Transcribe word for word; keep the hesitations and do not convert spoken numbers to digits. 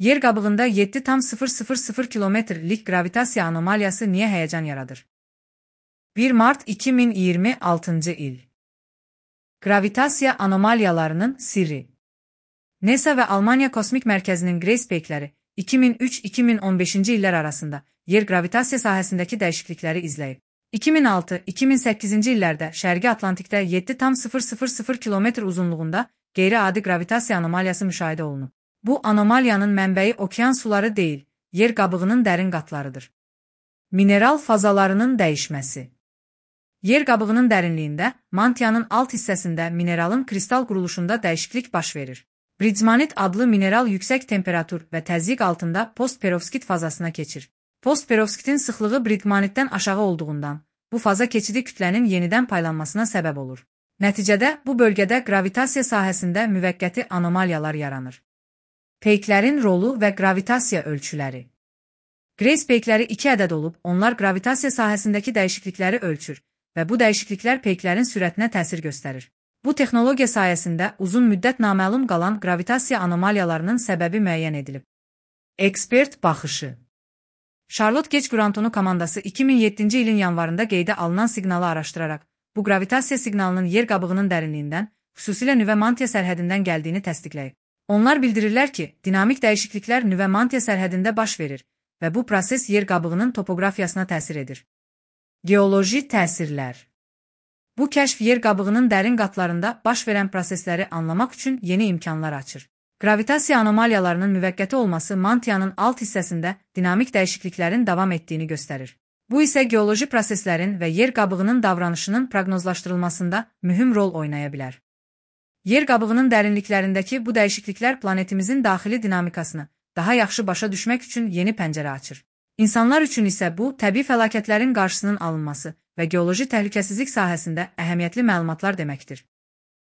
Yer qabığında yeddi tam sıfır sıfır sıfır kilometrlik gravitasiya anomaliyası niye heyecan yaradır? bir Mart iki min iyirmi altıncı il. Gravitasiya anomaliyalarının sirri. NASA ve Almanya Kosmik Merkezi'nin Grace Peak'leri iki min üç iki min on beşinci illər arasında yer gravitasiya sahəsindəki dəyişiklikləri izləyib. iki min altı iki min səkkizinci illərdə Şərqi Atlantikdə yeddi tam sıfır sıfır sıfır kilometr uzunluğunda qeyri-adi gravitasiya anomaliyası müşahidə olunub. Bu anomaliyanın mənbəyi okean suları deyil, yer qabığının dərin qatlarıdır. Mineral fazalarının dəyişməsi. Yer qabığının dərinliyində, mantiyanın alt hissəsində mineralın kristal quruluşunda dəyişiklik baş verir. Bridgemanit adlı mineral yüksək temperatur və təzyiq altında postperovskit fazasına keçir. Postperovskitin sıxlığı bridgemanitdən aşağı olduğundan, bu faza keçidi kütlənin yenidən paylanmasına səbəb olur. Nəticədə, bu bölgədə gravitasiya sahəsində müvəqqəti anomaliyalar yaranır. Peyklərin rolu və gravitasiya ölçüləri. Grace peykləri iki ədəd olub, onlar gravitasiya sahəsindəki dəyişiklikləri ölçür və bu dəyişikliklər peyklərin sürətinə təsir göstərir. Bu texnologiya sayəsində uzun müddət naməlum qalan gravitasiya anomaliyalarının səbəbi müəyyən edilib. Ekspert baxışı. Charlotte Gage-Grantonu komandası iki min yeddinci ilin yanvarında qeydə alınan siqnalı araşdıraraq, bu gravitasiya siqnalının yer qabığının dərinliyindən, xüsusilə nüvə mantiya sərhədindən gəldiyini təsdiqləyib. Onlar bildirirlər ki, dinamik dəyişikliklər nüvə mantiya sərhədində baş verir və bu proses yer qabığının topografiyasına təsir edir. Geoloji təsirlər. Bu kəşf yer qabığının dərin qatlarında baş verən prosesləri anlamaq üçün yeni imkanlar açır. Gravitasiya anomaliyalarının müvəqqəti olması mantiyanın alt hissəsində dinamik dəyişikliklərin davam etdiyini göstərir. Bu isə geoloji proseslərin və yer qabığının davranışının proqnozlaşdırılmasında mühüm rol oynaya bilər. Yer qabığının dərinliklərindəki bu dəyişikliklər planetimizin daxili dinamikasını daha yaxşı başa düşmək üçün yeni pəncərə açır. İnsanlar üçün isə bu, təbii fəlakətlərin qarşısının alınması və geoloji təhlükəsizlik sahəsində əhəmiyyətli məlumatlar deməkdir.